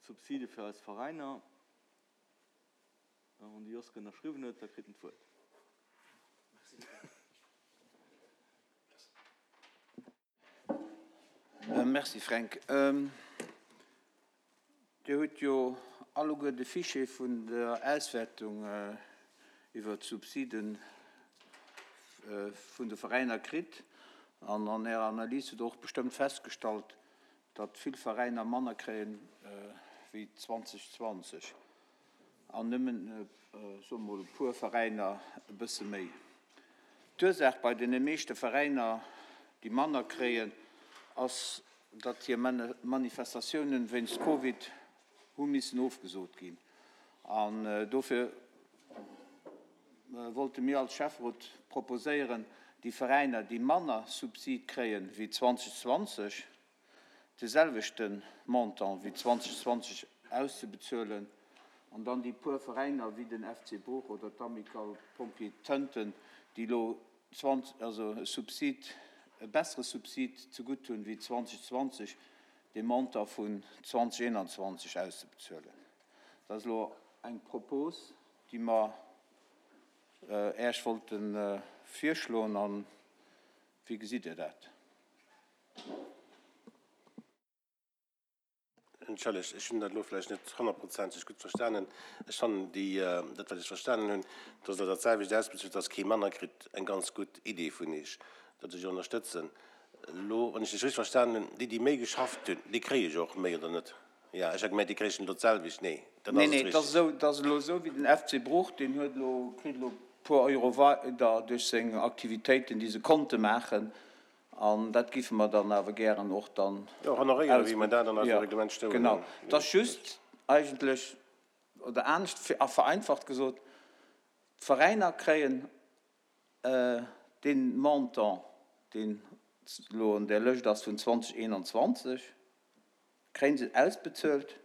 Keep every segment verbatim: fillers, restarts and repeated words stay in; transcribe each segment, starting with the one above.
d'Subside fir eis Veräiner. Wann de Joske ënnerschriwwen huet, da kritt en d'Wuert. Merci Fränk. Dir hutt jo alleguer de Fichier vun der Auswärtung iwwert d'Subside vun de Veräiner kritt an an Ärer Analys hutt Der och bestëmmt festgestallt, datt vill Veräiner manner kréien wéi zweitausendzwanzeg an nëmmen, soe mer mol, e puer Veräiner e bësse méi. D'Ursaach bei deene meeschte Veräiner, déi manner kréien, ass, datt hir Manifestatiounen wéinst Covid hu missen ofgesot ginn. An dofir wollte mir als Schäfferot proposéieren, déi Veräiner, déi manner Subsid kréien wéi zweitausendzwanzeg, de selwechte Montant wéi zweitausendzwanzeg auszebezuelen an dann déi puer Veräiner wéi den F C Bruch oder d'Amicale Pompiers Tënten, déi elo also e Subsid, e bessere Subsid zegutt hunn wéi zweitausendzwanzeg, dee Montant vun zweitausendeenundzwanzeg auszebezuelen. Dat ass elo eng Propos, déi mer Äech wollte virschloen. An wéi gesitt Dir dat? Entschëllegt, ech hunn dat elo vläicht net honnertprozenteg gutt verstanen. Ech fannen déi, dat wat ech verstanen hunn, dass Der dat selwecht ausbezuelt, dass kee manner kritt, eng ganz gutt Idee vun Iech, dat ech ënnerstëtzen. Elo, wann ech lech richtig verstanen hunn, déi, déi méi geschafft hunn, déi kréie jo och méi, oder net? Jo, ech hat gemengt, déi kréichen elo d'selwecht. Nee, dann Nee, ass et nee, et ass richtig. esou, et ass elo esou wéi den F C Bruch, deen huet elo, kritt elo e puer Euro weider duerch seng Aktivitéiten, déi se konnte maachen. An dat géife mer dann awer gären och dann Jo, honoréieren, wéi mer dat an eisem Jo, Reglement stoen genau. hunn. Et ass just eigentlech, oder anescht vereinfacht gesot, d'Veräiner kréien dee Montant, deen elo an där Lëscht ass vun zweitausendeenundzwanzeg, kréie se ausbezuelt,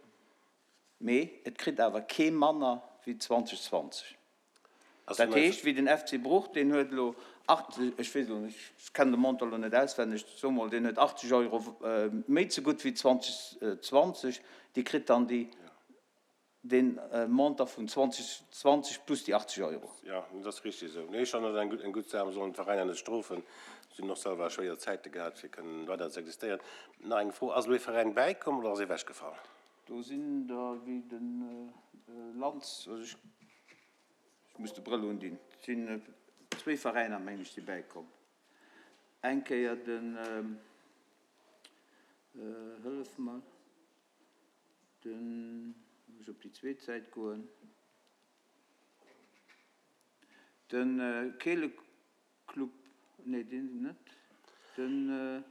mee et kritt awer kee manner wéi zweitausendzwanzeg. Ass Dat den nei. heescht, wéi den F C Bruch, deen huet elo achtzeg, ech weess elo net, ech kennen de Montant elo net auswenneg, soe mol, deen huet achtzeg Euro méi zegutt wéi zweitausendzwanzeg, dee kritt dann déi, dee Montant vun zweitausendzwanzeg plus déi achtzeg Euro. Jo, dat ass richtig esou. Nee, ech fannen dat eng gutt, eng gutt Saach. Mer sollen d'Veräiner net strofen. Si hunn och selwer schwéier Zäite gehat, fir kënnen weider ze existéieren. Nach eng Fro, Ass elo ee Veräin bäikomm oder ass ee ewechgefall? Do sinn der wéi de Lanz, also ech muss de Brëll undinn, et sinn zwee Veräiner, meng ech, si bäikomm. Eng Kéier den, hëllef mer, den, muss ech op déi zweet Säit goen, de Keeleclub, nee deen net, den.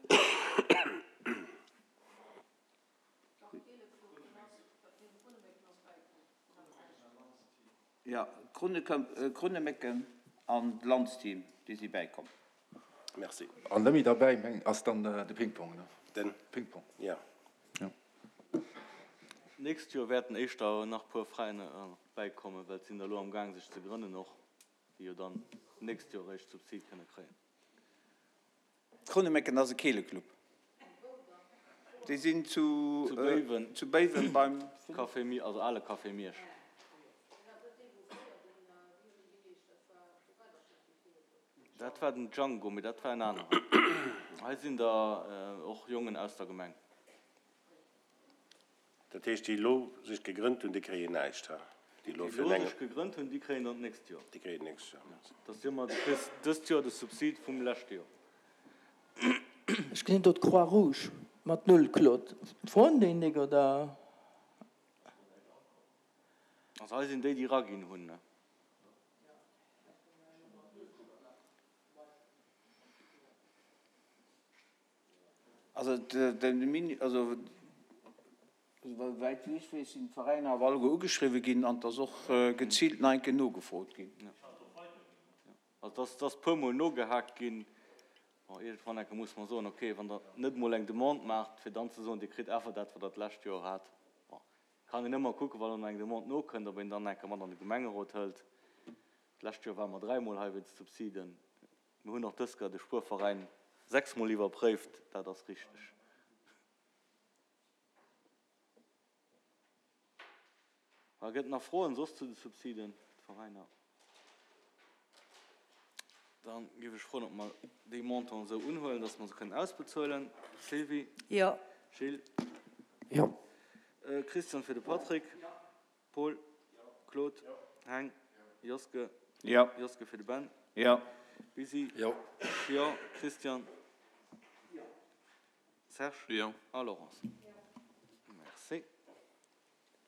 Jo, d'Krunnemécken an d'Lanzteam, déi si bäikomm. Merci. An nëmme derbäi meng ass dann de Ping-Pong, ne? Den? Ping-Pong. Jo. Jo. D'nächst Joer wäerten éischter nach puer Veräiner bäikommen, well et sinn der elo am Gaang sech ze grënnen och, déi jo dann d'nächst Joer eréischt Subsid kënne kréien. D'Krunnemécken ass e Keeleclub. Déi sinn zu Zu Béiwen. zu Béiwen beim. Café Miersch, also ale Café Miersch. Dat war den Django, mee dat war en aneren. Hei sinn der och Jongen aus der Gemeng. Dat heescht, déi elo sech gegrënnt hunn, déi kréien näischt, ha? Déi elo Déi fir elo eng. sech gegrënnt hunn, déi kréien dann d'nächst Joer. Déi kréien d'nächst Joer, merci. Dat ass jo ëmmer, du kriss dëst Joer de Subsid vum leschte Joer. Ech gesinn do d'Croix Rouge mat null, Claude. Froen déi nik, oder? Also hei sinn déi, déi eraginn hunn, ne? Also de Mini, also esouwäit wéi ech weess, sinn d'Veräiner awer alleguer ugeschriwwe ginn an et ass och geziilt nach eng Kéier nogefrot ginn. Also et ass puer Mol nogehaakt ginn. Bon, iergendwann enke muss mer soen, okay, wann Der net emol eng Demande maacht, fir dann ze soen, Dir kritt einfach dat, wat Der d'lescht Joer hat. Bon, kann een ëmmer kucken, wann elo nach eng Demande nokënnt, ob een dann enke mat an de Gemengerot hëlt. D'lescht Joer ware mer dräimol hei wéinst Subsiden. Mir hunn och dës Kéier de Spuerveräin sechsmol iwwerpréift. Dat ass richteg. Voilà, gëtt et nach Froen soss zu de Subsiden, d'Veräiner? Dann géif ech froen, ob mer déi Montanten esou unhuelen, dass mer se kënnen ausbezuelen. Sylvie? Jo. Gilles? Jo. Christian fir de Patrick. Jo. Paul? Jo. Claude? Jo. Heng? Jo. Joske? Jo. Joske fir de Ben. Jo. Bisi? Jo. Jo. Christian? Jo. Serge? Jo. A Laurence?